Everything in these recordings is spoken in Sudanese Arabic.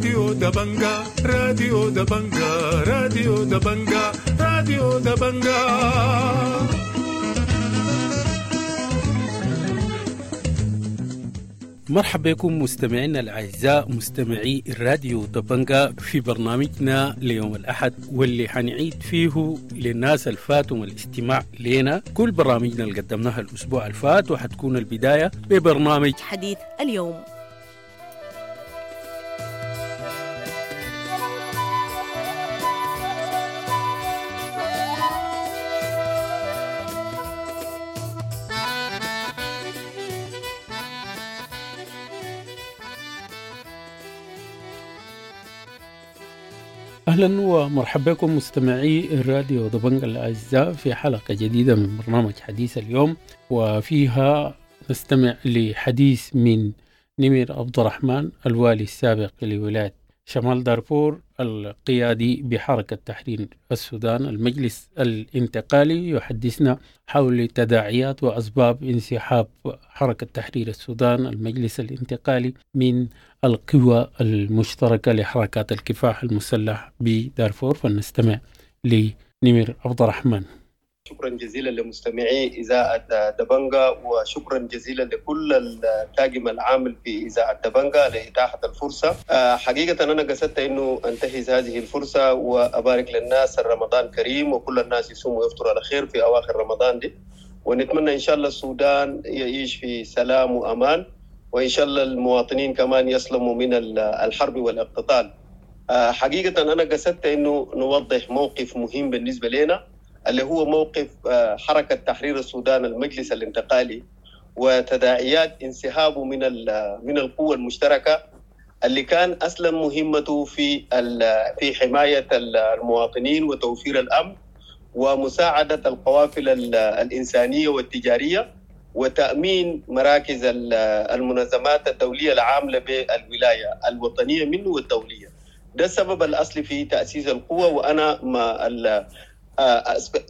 راديو دبنجا، راديو دبنجا، راديو دبنجا، راديو دبنجا. مرحبا بكم مستمعينا الأعزاء مستمعي الراديو دبنجا في برنامجنا ليوم الأحد، واللي حنعيد فيه للناس الفاتهم الاستماع لنا كل برامجنا اللي قدمناها الأسبوع الفات، وحتكون البداية ببرنامج حديث اليوم. أهلا ومرحبا بكم مستمعي الراديو دبنجا الأعزاء في حلقة جديدة من برنامج حديث اليوم، وفيها نستمع لحديث من نمر عبد الرحمن الوالي السابق لولاية شمال دارفور القيادي بحركة تحرير السودان المجلس الانتقالي، يحدثنا حول تداعيات وأسباب انسحاب حركة تحرير السودان المجلس الانتقالي من القوى المشتركة لحركات الكفاح المسلح بدارفور. فلنستمع لنمر عبد الرحمن. شكرا جزيلا لمستمعي إذاعة دبنجا، وشكرا جزيلا لكل الطاقم العامل في إذاعة دبنجا لإتاحة الفرصة. حقيقة أنا قصدت أنه أنتهز هذه الفرصة وأبارك للناس رمضان كريم، وكل الناس يصوموا ويفطروا على خير في أواخر رمضان دي، ونتمنى إن شاء الله السودان يعيش في سلام وأمان، وإن شاء الله المواطنين كمان يسلموا من الحرب والاقتتال. حقيقة أنا قصدت أنه نوضح موقف مهم بالنسبة لنا، اللي هو موقف حركة تحرير السودان المجلس الانتقالي وتداعيات انسحابه من القوة المشتركة اللي كان أصلا مهمته في حماية المواطنين وتوفير الأمن ومساعدة القوافل الإنسانية والتجارية وتأمين مراكز المنظمات الدولية العاملة بالولاية الوطنية منه والدولية. ده السبب الأصلي في تأسيس القوة، وأنا ما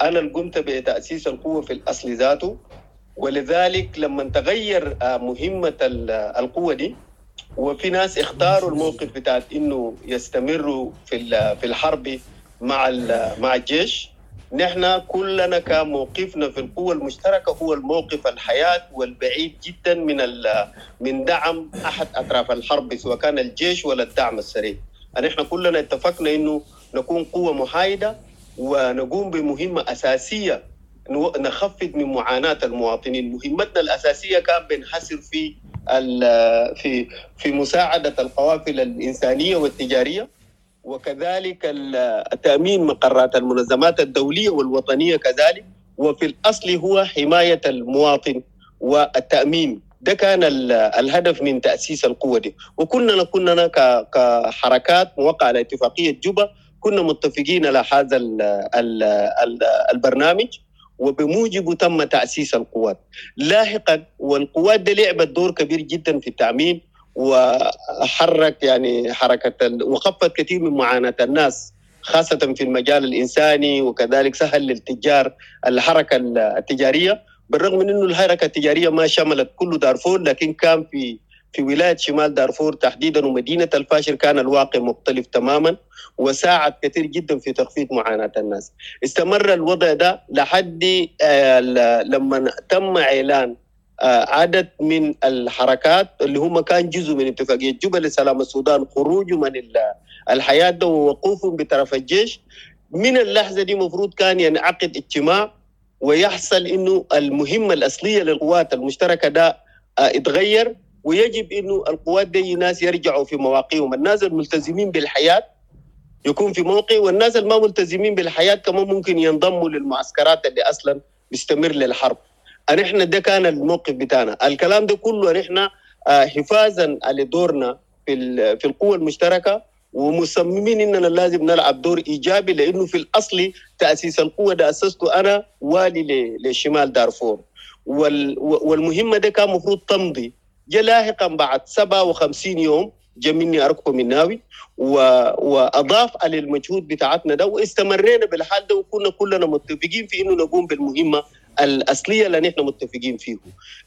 أنا اللي قمت بتأسيس القوة في الأصل ذاته. ولذلك لما تغير مهمة القوة دي، وفي ناس اختاروا الموقف بتاع إنه يستمروا في الحرب مع الجيش، نحن كلنا كان موقفنا في القوة المشتركة هو الموقف الحياة والبعيد جدا من دعم أحد أطراف الحرب، سواء كان الجيش ولا الدعم السريع. نحن كلنا اتفقنا إنه نكون قوة محايدة ونقوم بمهمة أساسية نخفض من معاناة المواطنين. مهمتنا الأساسية كان بنحصر في في في مساعدة القوافل الإنسانية والتجارية، وكذلك تأمين مقرات المنظمات الدولية والوطنية كذلك، وفي الأصل هو حماية المواطن والتأمين. ده كان الهدف من تأسيس القوة دي. وكنا كحركات موقعة على اتفاقية جوبا كنا متفقين على هذا البرنامج، وبموجبه تم تأسيس القوات لاحقا. والقوات دي لعبت دور كبير جدا في التأمين، وحرك يعني حركة وخفت كثير من معاناة الناس خاصة في المجال الإنساني، وكذلك سهل للتجار الحركة التجارية، بالرغم من أنه الحركة التجارية ما شملت كل دارفور، لكن كان في ولاية شمال دارفور تحديدا ومدينة الفاشر كان الواقع مختلف تماما، وساعد كثير جدا في تخفيض معاناة الناس. استمر الوضع ده لحد لما تم إعلان عدد من الحركات اللي هم كان جزء من اتفاقية جوبا لسلام السودان خروجهم من الحياة ده ووقوفهم بطرف الجيش. من اللحظة دي مفروض كان ينعقد اجتماع ويحصل إنه المهمة الأصلية للقوات المشتركة ده اتغير، ويجب إنه القوات دي ناس يرجعوا في مواقعهم. الناس الملتزمين بالحياة يكون في موقع، والناس الما ملتزمين بالحياة كمان ممكن ينضموا للمعسكرات اللي أصلا بيستمر للحرب. نحن ده كان الموقف بتاعنا. الكلام ده كله نحن حفاظا على دورنا في القوة المشتركة، ومصممين إننا لازم نلعب دور إيجابي، لأنه في الأصل تأسيس القوة ده أسسته أنا والي لشمال دارفور، والمهمة ده كان مفروض تمضي. جاء لاحقا بعد 57 يوم جاء مني أركو مناوي وأضاف على المجهود بتاعتنا ده، واستمرينا بالحال ده، وكنا كلنا متفقين في إنه نقوم بالمهمة الأصلية اللي نحن متفقين فيه.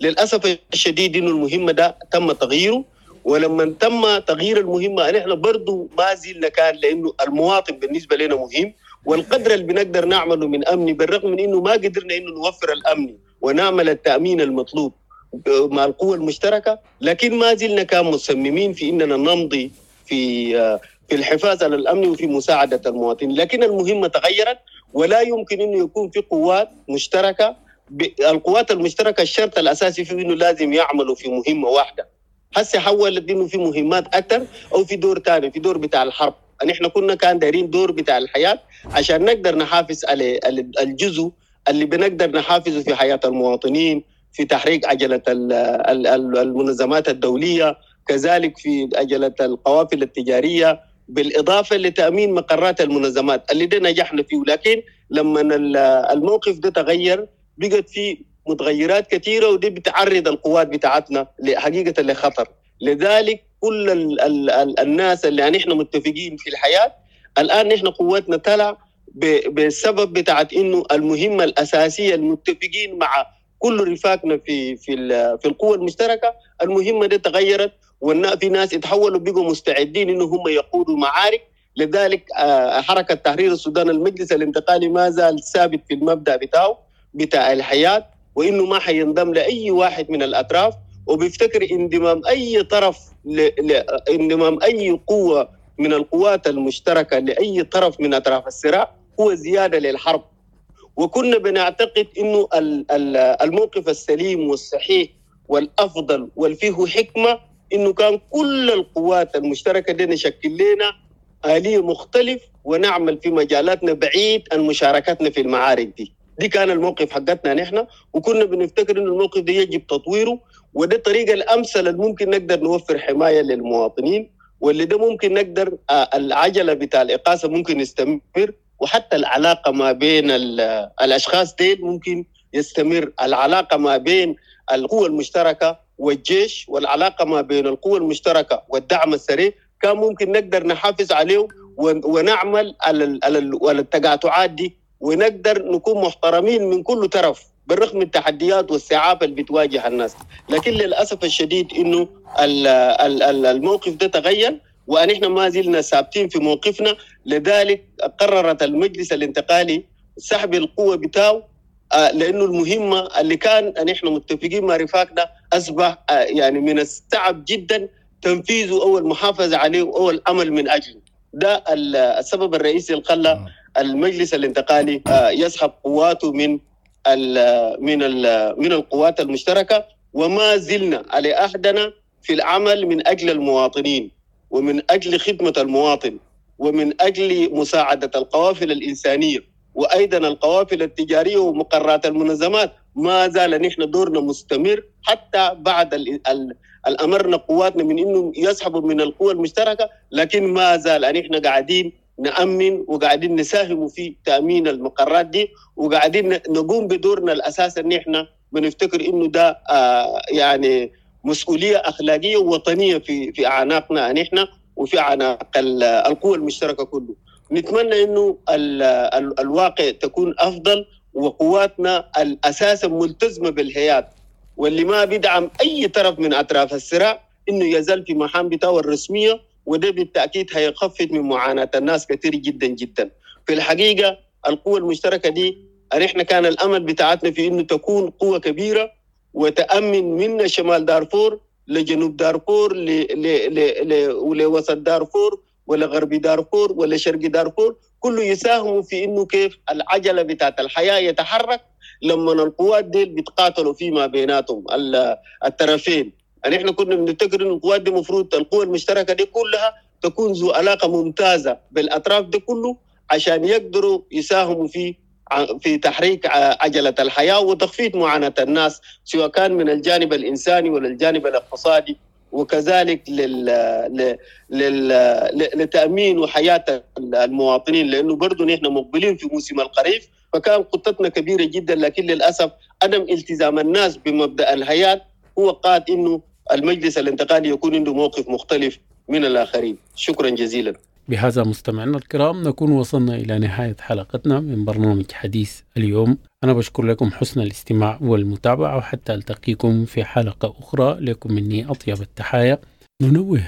للأسف الشديد إنه المهمة ده تم تغييره، ولما تم تغيير المهمة نحن برضو ما زلنا كان، لانه المواطن بالنسبة لنا مهم، والقدر اللي بنقدر نعمله من امني بالرغم من انه ما قدرنا انه نوفر الامن ونعمل التامين المطلوب مع القوى المشتركة، لكن ما زلنا كان مصممين في اننا نمضي في الحفاظ على الامن وفي مساعدة المواطنين. لكن المهمة تغيرت، ولا يمكن انه يكون في قوات مشتركة. القوات المشتركة الشرط الاساسي فيه انه لازم يعملوا في مهمة واحدة. هسه حولت انه في مهمات اكثر او في دور ثاني، في دور بتاع الحرب. نحن كنا كان دايرين دور بتاع الحياة عشان نقدر نحافظ على الجزء اللي بنقدر نحافظه في حياة المواطنين، في تحريك عجله المنظمات الدولية، كذلك في عجله القوافل التجارية، بالاضافة لتامين مقرات المنظمات اللي ده نجحنا فيه. لكن لما الموقف ده تغير بقت في متغيرات كثيرة، ودي بتعرض القوات بتاعتنا حقيقة لخطر. لذلك كل ال ال ال الناس اللي نحن متفقين في الحياة الان، نحن قواتنا تلع بسبب بتاعت انه المهمة الاساسية المتفقين مع كل رفاقنا في في في القوة المشتركة، المهمة دي تغيرت، وفي ناس اتحولوا بقوا مستعدين انه هم يقودوا معارك. لذلك حركة تحرير السودان المجلس الانتقالي ما زال ثابت في المبدا بتاعه بتاع الحياة، وانه ما حينضم لاي واحد من الاطراف، وبيفتكر انضمام اي طرف انضمام اي قوة من القوات المشتركة لاي طرف من اطراف الصراع هو زيادة للحرب. وكنا بنعتقد انه الموقف السليم والصحيح والافضل والفيه حكمه انه كان كل القوات المشتركة دي نشكل لنا آلية مختلف ونعمل في مجالاتنا بعيد عن مشاركتنا في المعارك دي. دي كان الموقف حقتنا نحن، وكنا بنفتكر انه الموقف ده يجب تطويره، وده الطريقة الامثل اللي ممكن نقدر نوفر حماية للمواطنين، واللي ده ممكن نقدر العجلة بتاع الاقاصه ممكن يستمر، وحتى العلاقة ما بين الاشخاص ديل ممكن يستمر، العلاقة ما بين القوى المشتركة والجيش، والعلاقة ما بين القوى المشتركة والدعم السريع كان ممكن نقدر نحافظ عليه ونعمل على التقاطعات دي، ونقدر نكون محترمين من كل طرف بالرغم من التحديات والصعاب اللي بتواجه الناس. لكن للأسف الشديد إنه الموقف ده تغير، ونحن ما زلنا ثابتين في موقفنا. لذلك قررت المجلس الانتقالي سحب القوة بتاعه، لأنه المهمة اللي كان نحن متفقين مع رفاقنا أصبح يعني من الصعب جدا تنفيذه أو المحافظة عليه أو العمل من أجله. ده السبب الرئيسي اللي خلى المجلس الانتقالي يسحب قواته من ال من ال من القوات المشتركة، وما زلنا على عهدنا في العمل من أجل المواطنين، ومن أجل خدمة المواطن، ومن أجل مساعدة القوافل الإنسانية، وأيضا القوافل التجارية ومقرات المنظمات. ما زال نحن دورنا مستمر حتى بعد الأمرنا قواتنا من إنه يسحبوا من القوى المشتركة، لكن ما زال نحن قاعدين نأمن وقاعدين نساهم في تأمين المقرات دي، وقاعدين نقوم بدورنا الأساس. إن إحنا بنفتكر إنه ده يعني مسؤولية أخلاقية ووطنية في أعناقنا نحن وفي أعناق القوى المشتركة كله. نتمنى إنه الواقع تكون أفضل، وقواتنا الأساسا ملتزمة بالحياد، واللي ما بيدعم أي طرف من أطراف الصراع إنه يزال في مهام بتاعه الرسمية، وده بالتأكيد هيخفض من معاناة الناس كثير جدا جدا. في الحقيقة القوة المشتركة دي نحن كان الأمل بتاعتنا في إنه تكون قوة كبيرة وتأمن من شمال دارفور لجنوب دارفور ولوسط دارفور ولغرب دارفور ولشرق دارفور، كله يساهم في إنه كيف العجلة بتاعت الحياة يتحرك لما القوات دي بيتقاتلوا فيما بيناتهم الطرفين. نحن كنا بنفتكر إن القوات دي مفروض القوى المشتركة دي كلها تكون ذو علاقة ممتازة بالأطراف دي كله عشان يقدروا يساهموا في تحريك عجلة الحياة وتخفيض معاناة الناس، سواء كان من الجانب الإنساني ولا الجانب الاقتصادي، وكذلك لتأمين وحياة المواطنين، لأنه برضو نحن مقبلين في موسم الخريف. فكان خطتنا كبيرة جدا، لكن للأسف عدم التزام الناس بمبدأ الحياة هو قاد إنه المجلس الانتقالي يكون عنده موقف مختلف من الآخرين. شكرا جزيلا. بهذا مستمعينا الكرام نكون وصلنا إلى نهاية حلقتنا من برنامج حديث اليوم. أنا بشكر لكم حسن الاستماع والمتابعة، وحتى ألتقيكم في حلقة أخرى لكم مني أطيب التحايا. ننوه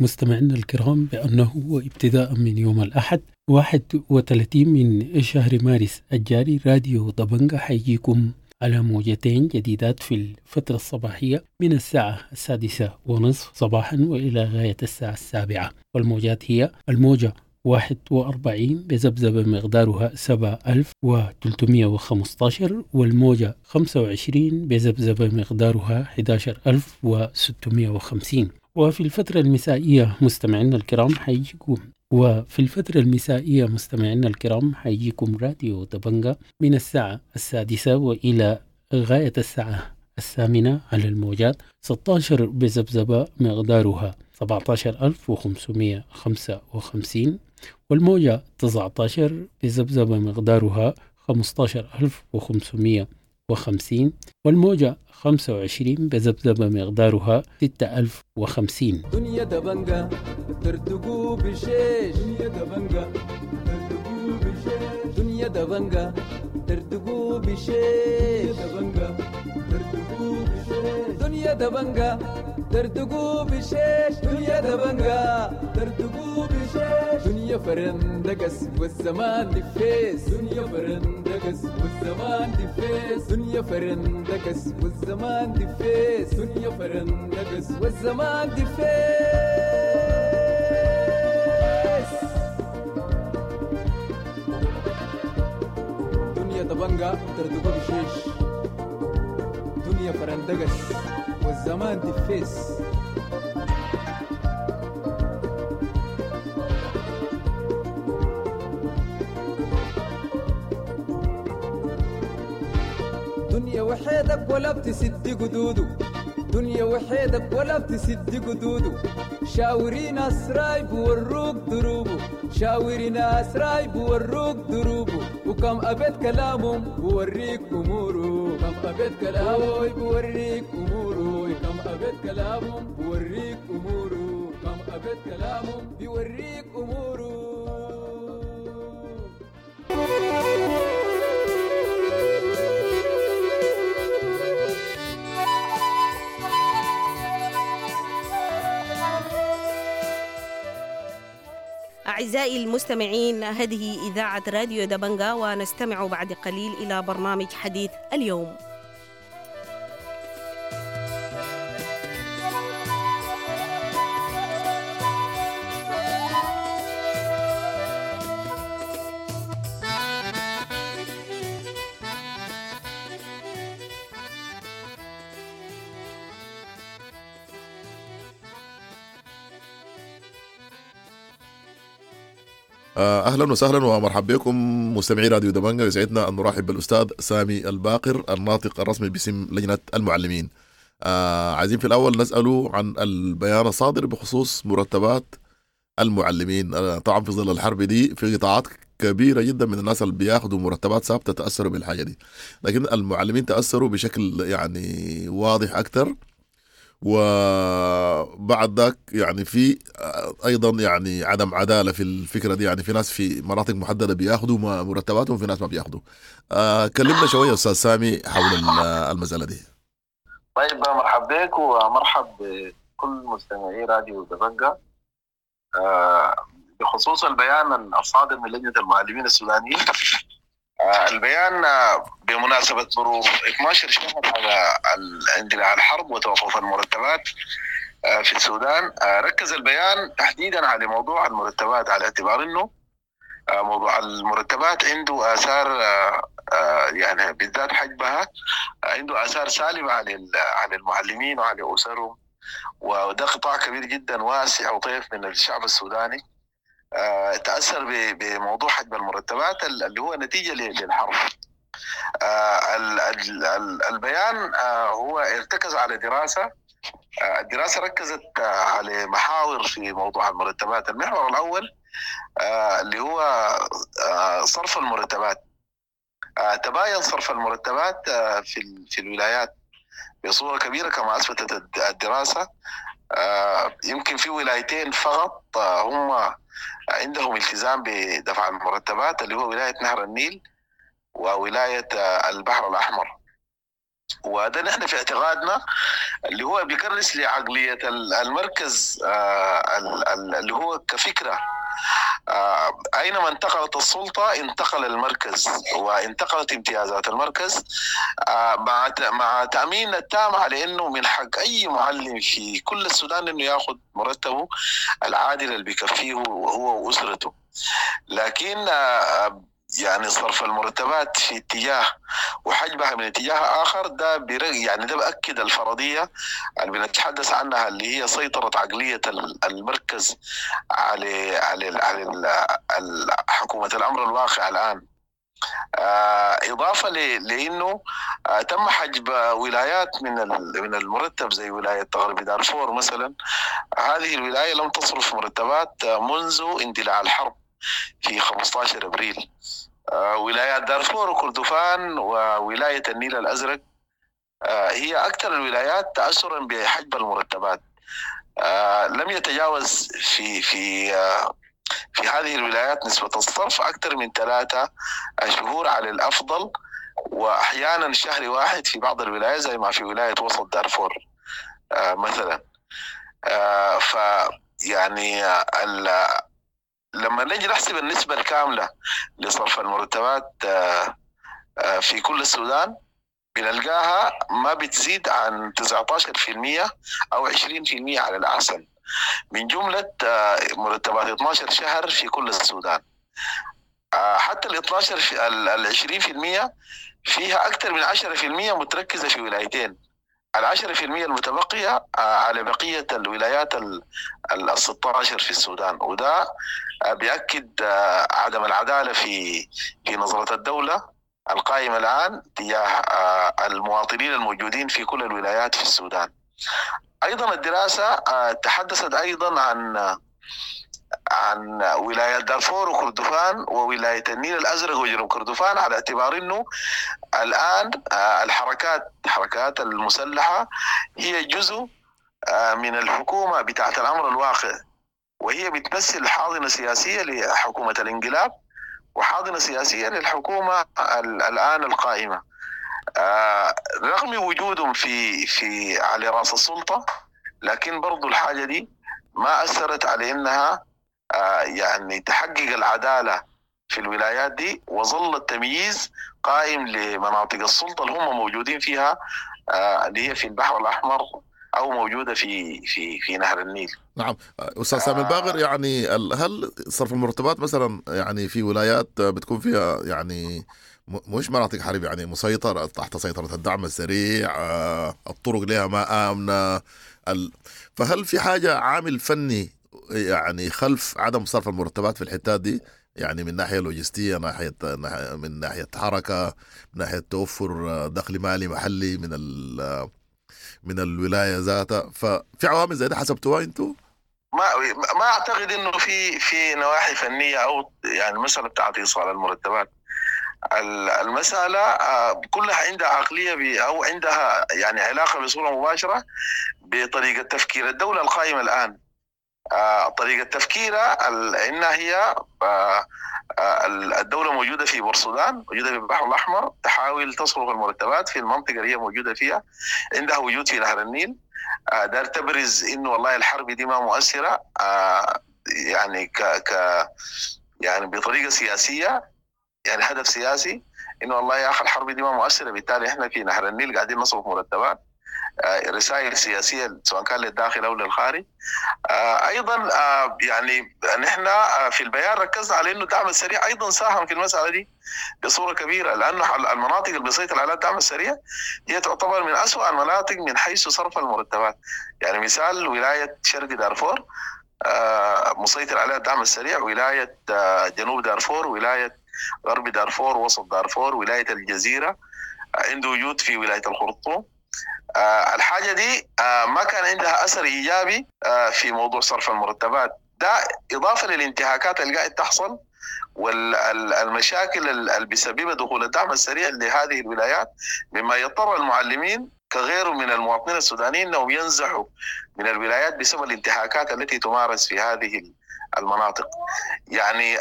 مستمعينا الكرام بأنه ابتداء من يوم الأحد 31 من شهر مارس الجاري راديو دبنجة حيجيكم على موجتين جديدات في الفترة الصباحية من الساعة 6:30 صباحا وإلى غاية الساعة 7، والموجات هي الموجة 41 بذبذبة مقدارها 7315، والموجة 25 بذبذبة مقدارها 11650. وفي الفترة المسائية مستمعينا الكرام حيجيكم راديو دبنجة من الساعة 6 وإلى غاية الساعة 8 على الموجات 16 بذبذبة مقدارها 17555، والموجة 19 بذبذبة مقدارها 15550، والموجة 25 بذبذبة مقدارها 6050. دنيا دبنجة ترتقو بشيش، دنيا دبنجة ترتقو بشيش، دنيا دبنجة ترتقو بشيش، دبنجة ترتقو بشيش، دنيا دبنجة ترتقو بشيش، دنيا دبنجة ترتقو بشيش، دنيا فرندقس والزمان دفيس، دنيا فرندقس والزمان دفيس، دنيا فرندقس والزمان دفيس، دنيا فرندقس والزمان دفيس. دنيا دبنجة ترتقو بشيش، دنيا فرندقس والزمان دفيس. دنيا وحيدك ولا بتسد قدوده، دنيا وحيدك ولا بتسد قدوده، شاوري ناس رايب وروك دروبه، شاوري ناس رايب وروك دروبه، وكم أبيت كلامهم بوريك أموره، كم أبيت كلامه بوريك أموره، كم أبيت كلامهم بوريك أموره، كم أبيت كلامهم بوريك أموره. أعزائي المستمعين، هذه إذاعة راديو دبنجة، ونستمع بعد قليل إلى برنامج حديث اليوم. اهلا وسهلا ومرحبا بكم مستمعي راديو دبنجة. يسعدنا ان نرحب بالاستاذ سامي الباقر الناطق الرسمي باسم لجنة المعلمين. عايزين في الاول نساله عن البيان الصادر بخصوص مرتبات المعلمين. طبعا في ظل الحرب دي في قطاعات كبيرة جدا من الناس اللي بياخذوا مرتبات ثابتة تاثروا بالحاجة دي، لكن المعلمين تاثروا بشكل يعني واضح اكثر. وبعد ذاك يعني في ايضا يعني عدم عدالة في الفكرة دي، يعني في ناس في مناطق محددة بياخذوا مرتباتهم وفي ناس ما بياخذوا. كلمنا شوية استاذ سامي حول المسالة دي. طيب، مرحب بك ومرحب بكل مستمعي راديو دبنجة. بخصوص البيان الصادر من لجنة المعلمين السودانيين، البيان بمناسبة مرور 12 شهر على اندلاع الحرب وتوقف المرتبات في السودان، ركز البيان تحديدا على موضوع المرتبات، على اعتبار انه موضوع المرتبات عنده آثار، يعني بالذات حجبها عنده آثار سالبة على المعلمين وعلى أسرهم، وده قطاع كبير جدا واسع وطيف من الشعب السوداني تأثر بموضوع حجب المرتبات اللي هو نتيجة للحرب. البيان هو ارتكز على دراسة، الدراسة ركزت على محاور في موضوع المرتبات. المحور الأول اللي هو صرف المرتبات. تباين صرف المرتبات في الولايات بصورة كبيرة كما أثبتت الدراسة. يمكن في ولايتين فقط هم عندهم التزام بدفع المرتبات، اللي هو ولاية نهر النيل وولاية البحر الأحمر. وده نحن في اعتقادنا اللي هو بيكرس لعقلية المركز اللي هو كفكرة. أينما انتقلت السلطة انتقل المركز وانتقلت امتيازات المركز، مع تأمين التام على أنه من حق أي معلم في كل السودان أنه يأخذ مرتبه العادل اللي بيكفيه هو وأسرته. لكن يعني صرف المرتبات في اتجاه وحجبها من اتجاه آخر، ده يعني ده بأكد الفرضية اللي بنتحدث عنها اللي هي سيطرة عقلية المركز على على على حكومة الأمر الواقع الآن. إضافة لأنه تم حجب ولايات من المرتب زي ولاية غرب دارفور مثلا. هذه الولاية لم تصرف مرتبات منذ اندلاع الحرب في 15 أبريل. ولايات دارفور وكردفان وولاية النيل الأزرق هي أكثر الولايات تأثرا بحجب المرتبات. لم يتجاوز في في في هذه الولايات نسبة الصرف أكثر من 3 شهور على الأفضل، وأحيانا شهر واحد في بعض الولايات زي ما في ولاية وسط دارفور مثلا. ف يعني لما نجي نحسب النسبة الكاملة لصرف المرتبات في كل السودان بنلقاها ما بتزيد عن 19% أو 20% على الأحسن من جملة مرتبات 12 شهر في كل السودان. حتى ال 12 ال 20% فيها أكثر من 10% متركزة في ولايتين، ال 10% المتبقية على بقية الولايات ال 16 في السودان. وده بيأكد عدم العدالة في نظرة الدولة القائمة الآن تجاه المواطنين الموجودين في كل الولايات في السودان. أيضا الدراسة تحدثت أيضا عن ولاية دارفور وكردفان وولاية النيل الأزرق وجنوب كردفان، على اعتبار أنه الآن الحركات المسلحة هي جزء من الحكومة بتاعت الأمر الواقع، وهي بتمثل حاضنة سياسية لحكومة الانقلاب وحاضنة سياسية للحكومة الآن القائمة. رغم وجودهم في على رأس السلطة، لكن برضو الحاجة دي ما أثرت على إنها يعني تحقق العدالة في الولايات دي، وظل التمييز قائم لمناطق السلطة اللي هم موجودين فيها، اللي هي في البحر الأحمر أو موجودة في في في نهر النيل. نعم أستاذ سامي الباقر، يعني هل صرف المرتبات مثلا يعني في ولايات بتكون فيها يعني مش مناطق حرب، يعني مسيطرة تحت سيطرة الدعم السريع، الطرق لها ما آمنة، فهل في حاجة عامل فني يعني خلف عدم صرف المرتبات في الحتات دي، يعني من ناحية لوجستية، من ناحية حركة، من ناحية توفر دخل مالي محلي من الولاية ذاتها؟ ففي عوامل زي ده حسبتوها انتوا؟ ما اعتقد انه في نواحي فنية او يعني المسألة بتاعت ايصال المرتبات. المسألة كلها عندها عقلية أو عندها يعني علاقة بصورة مباشرة بطريقة تفكير الدولة القائمة الآن. طريقة تفكيرها إنها هي الدولة موجودة في بورسودان، موجودة في البحر الأحمر، تحاول تصرف المرتبات في المنطقة اللي هي موجودة فيها، عندها وجود في نهر النيل، دار تبرز إنه والله الحرب دي ما مؤثرة، يعني ك يعني بطريقة سياسية، يعني هدف سياسي إنه والله يا أخي الحرب دي ما مؤثرة، بالتالي إحنا في نهر النيل قاعدين نصرف مرتبات. رسائل سياسية سواء كان للداخل أو للخارج. أيضا يعني نحن في البيان ركزنا على إنه الدعم السريع أيضا ساهم في المسألة دي بصورة كبيرة، لأنه المناطق اللي بيسيطر عليها الدعم السريع هي تعتبر من أسوأ المناطق من حيث صرف المرتبات. يعني مثال ولاية شرق دارفور مسيطر عليها الدعم السريع، ولاية جنوب دارفور، ولاية غرب دارفور، وسط دارفور، ولاية الجزيرة، عنده وجود في ولاية الخرطوم. الحاجة دي ما كان عندها أثر إيجابي في موضوع صرف المرتبات ده، إضافة للانتهاكات اللي قاعد تحصل والمشاكل اللي بسببها دخول الدعم السريع لهذه الولايات، مما يضطر المعلمين كغيره من المواطنين السودانيين أنهم ينزحوا من الولايات بسبب الانتهاكات التي تمارس في هذه المناطق. يعني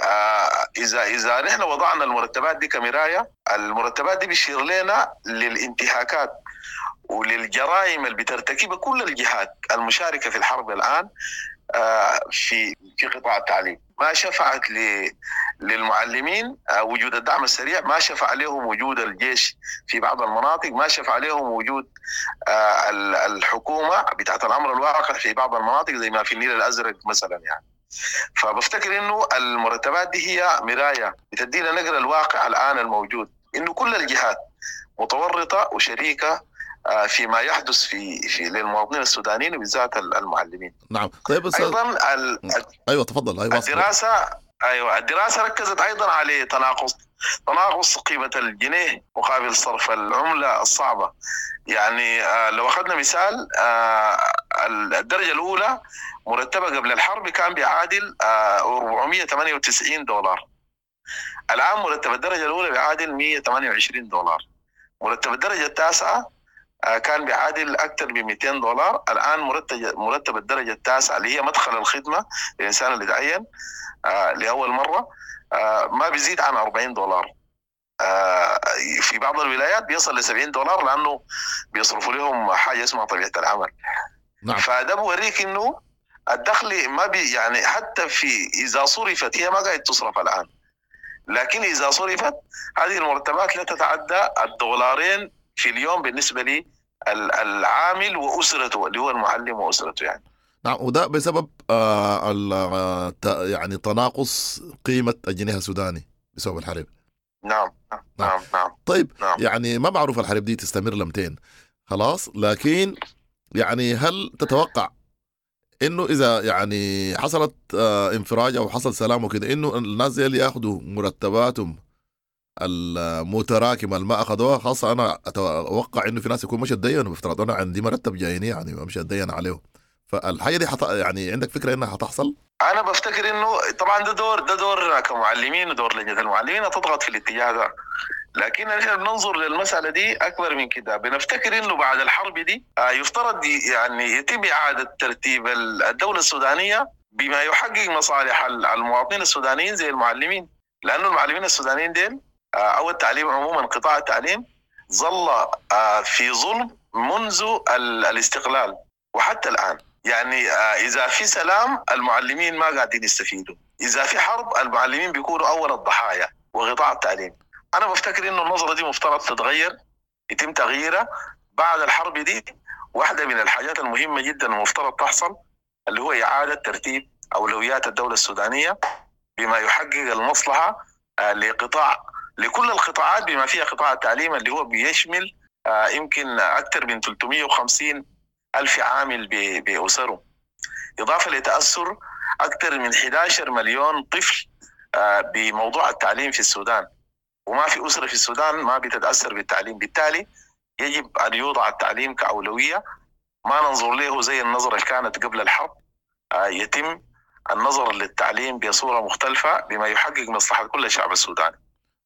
إذا نحن وضعنا المرتبات دي كمراية، المرتبات دي بتشير لنا للانتهاكات وللجرائم اللي بترتكبها كل الجهات المشاركة في الحرب الآن في قطاع التعليم. ما شفعت للمعلمين وجود الدعم السريع، ما شفع لهم وجود الجيش في بعض المناطق، ما شفع لهم وجود الحكومة بتاعت الأمر الواقع في بعض المناطق زي ما في النيل الأزرق مثلا يعني. فبفتكر إنه المرتبات دي هي مراية بتدينا نقرأ الواقع الآن الموجود، إنه كل الجهات متورطة وشريكة فيما يحدث في للمواطنين السودانيين وبالذات المعلمين. نعم. طيب ايضا ايوه تفضل. ايوه الدراسة، ايوه الدراسة ركزت ايضا على تناقص قيمة الجنيه مقابل صرف العملة الصعبة. يعني لو اخذنا مثال، الدرجة الاولى مرتبه قبل الحرب كان بيعادل 498 دولار. الان مرتب الدرجة الاولى بيعادل 128 دولار. مرتب الدرجة التاسعة كان بيعادل أكثر من 200 دولار. الآن مرتب الدرجة التاسعة اللي هي مدخل الخدمة للإنسان اللي تعين لأول مرة ما بيزيد عن 40 دولار. في بعض الولايات بيصل ل 70 دولار لأنه بيصرفوا لهم حاجة اسمها طبيعة العمل. نعم. فده بوريك إنه الدخل ما بي يعني حتى في إذا صرفت، هي ما قاعد تصرف الآن، لكن إذا صرفت هذه المرتبات لا تتعدى الدولارين في اليوم بالنسبة لي العامل وأسرته اللي هو المعلم وأسرته يعني. نعم. وده بسبب يعني تناقص قيمة الجنيه السوداني بسبب الحرب. نعم نعم نعم. طيب نعم. يعني ما معروف الحرب دي تستمر لمتين خلاص، لكن يعني هل تتوقع انه اذا يعني حصلت انفراج او حصل سلام وكده انه الناس دي اللي ياخذوا مرتباتهم المتراكمة اللي ما اخذوها؟ خاصة انا اتوقع انه في ناس يكون مش اتدينوا، بافتراض انا عندي مرتب جايني يعني امشي اتدين عليه، فالحاجه دي يعني عندك فكرة انها حتحصل؟ انا بفتكر انه طبعا ده دور كمعلمين ودور لجنة المعلمين تضغط في الاتجاه ده، لكن نحن بننظر للمسالة دي اكبر من كده. بنفتكر انه بعد الحرب دي يفترض يعني يتم اعاده ترتيب الدولة السودانية بما يحقق مصالح المواطنين السودانيين زي المعلمين، لانه المعلمين السودانيين ديل او التعليم عموما، قطاع التعليم ظل في ظلم منذ الاستقلال وحتى الان. يعني اذا في سلام المعلمين ما قاعدين يستفيدوا، اذا في حرب المعلمين بيكونوا اول الضحايا وقطاع التعليم. انا بفتكر انه النظرة دي مفترض تتغير، يتم تغييرها بعد الحرب دي. واحدة من الحاجات المهمة جدا المفترض تحصل اللي هو اعاده ترتيب اولويات الدولة السودانية بما يحقق المصلحة لقطاع لكل القطاعات بما فيها قطاع التعليم اللي هو بيشمل يمكن أكثر من 350 ألف عامل بأسره، إضافة لتأثر أكثر من 11 مليون طفل بموضوع التعليم في السودان، وما في أسرة في السودان ما بتتأثر بالتعليم. بالتالي يجب أن يوضع التعليم كأولوية، ما ننظر له زي النظرة اللي كانت قبل الحرب. يتم النظر للتعليم بصورة مختلفة بما يحقق مصلحة كل الشعب السوداني.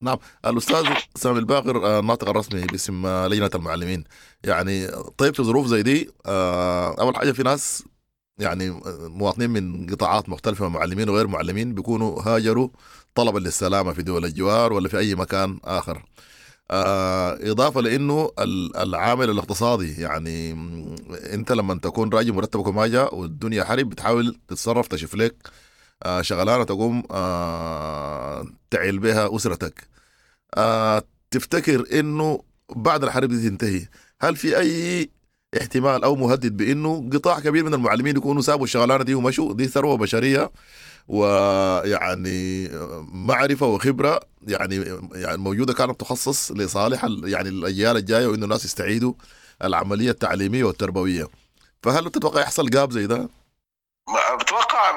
نعم. الأستاذ سامي الباقر الناطق الرسمي باسم لجنة المعلمين، يعني طيب في ظروف زي دي أول حاجة في ناس يعني مواطنين من قطاعات مختلفة، معلمين وغير معلمين، بيكونوا هاجروا طلبا للسلامة في دول الجوار ولا في أي مكان آخر. إضافة لأنه العامل الاقتصادي، يعني أنت لما تكون راجل مرتبك وما جاء والدنيا حرب بتحاول تتصرف تشوف لك شغلانة تقوم تعيل بها أسرتك. تفتكر إنه بعد الحرب دي تنتهي هل في أي احتمال أو مهدد بإنه قطاع كبير من المعلمين يكونوا سابوا الشغلانة دي ومشوا؟ دي ثروة بشرية ويعني معرفة وخبرة يعني موجودة كانت تخصص لصالح يعني الأجيال الجاية، وإنه الناس يستعيدوا العملية التعليمية والتربوية. فهل تتوقع يحصل جاب زي ده؟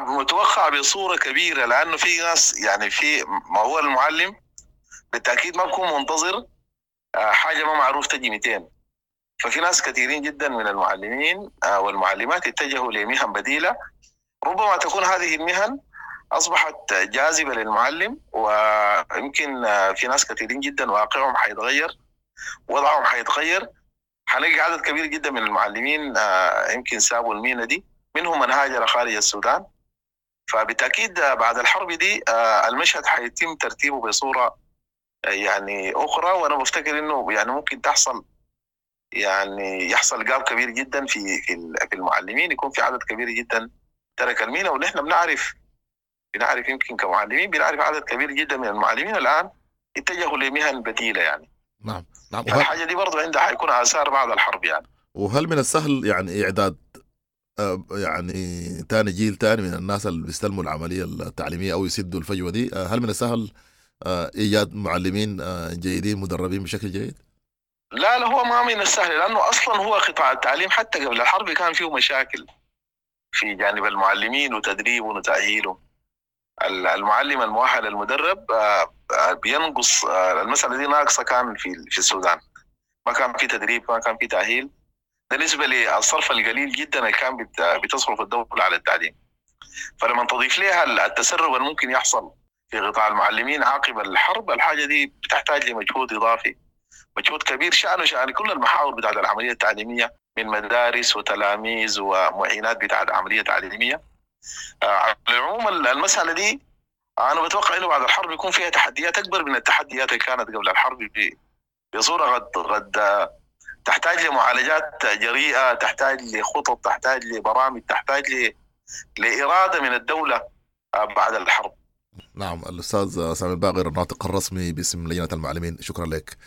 متوقع بصورة كبيرة، لأنه في ناس يعني في ما هو المعلم بالتأكيد ما بكون منتظر حاجة ما معروف تجي 200. ففي ناس كثيرين جدا من المعلمين والمعلمات اتجهوا لمهن بديلة، ربما تكون هذه المهن أصبحت جاذبة للمعلم، ويمكن في ناس كثيرين جدا واقعهم حيتغير، وضعهم حيتغير. حنلقى عدد كبير جدا من المعلمين يمكن سابوا المهنة دي، منهم من هاجر خارج السودان. فبالتأكيد بعد الحرب دي المشهد حيتم ترتيبه بصورة يعني أخرى، وأنا بفتكر إنه يعني ممكن تحصل يعني يحصل gap كبير جدا في المعلمين، يكون في عدد كبير جدا ترك المهنة. ونحن بنعرف يمكن كمعلمين بنعرف عدد كبير جدا من المعلمين الان اتجهوا لمهن بديله يعني. نعم نعم. الحاجة دي برضه عندها حيكون اثار بعد الحرب يعني. وهل من السهل يعني اعداد يعني تاني جيل تاني من الناس اللي بيستلموا العملية التعليمية او يسدوا الفجوة دي، هل من السهل ايجاد معلمين جيدين مدربين بشكل جيد؟ لا لا، هو ما من السهل، لانه اصلا هو قطاع التعليم حتى قبل الحرب كان فيه مشاكل في جانب المعلمين وتدريبهم وتاهيلهم. المعلم المؤهل المدرب بينقص، المسالة دي ناقصه كان في السودان، ما كان في تدريب، ما كان في تاهيل. بالنسبة للصرف القليل جدا اللي كان بتصرف الدولة على التعليم، فلما تضيف لها التسرب اللي ممكن يحصل في قطاع المعلمين عقب الحرب، الحاجة دي بتحتاج لمجهود اضافي، مجهود كبير شأنه شأن كل المحاور بتاعت العملية التعليمية من مدارس وتلاميذ ومعينات بتاعت العملية التعليمية. على العموم المسالة دي انا بتوقع انه بعد الحرب يكون فيها تحديات اكبر من التحديات اللي كانت قبل الحرب بصورة قد تحتاج لمعالجات جريئة، تحتاج لخطط، تحتاج لبرامج، تحتاج لارادة من الدولة بعد الحرب. نعم، الاستاذ سامي الباقر الناطق الرسمي باسم لجنة المعلمين، شكرا لك.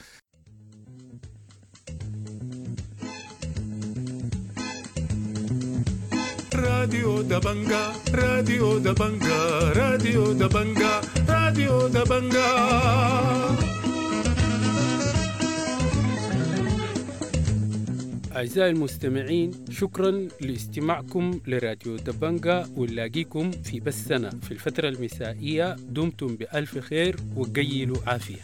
راديو دبنجا، راديو دبنجا، راديو دبنجا، راديو دبنجا. أعزائي المستمعين، شكرا لاستماعكم لراديو دبنجا، ونلاقيكم في بثنا في الفترة المسائية. دمتم بألف خير وقيلوا عافية.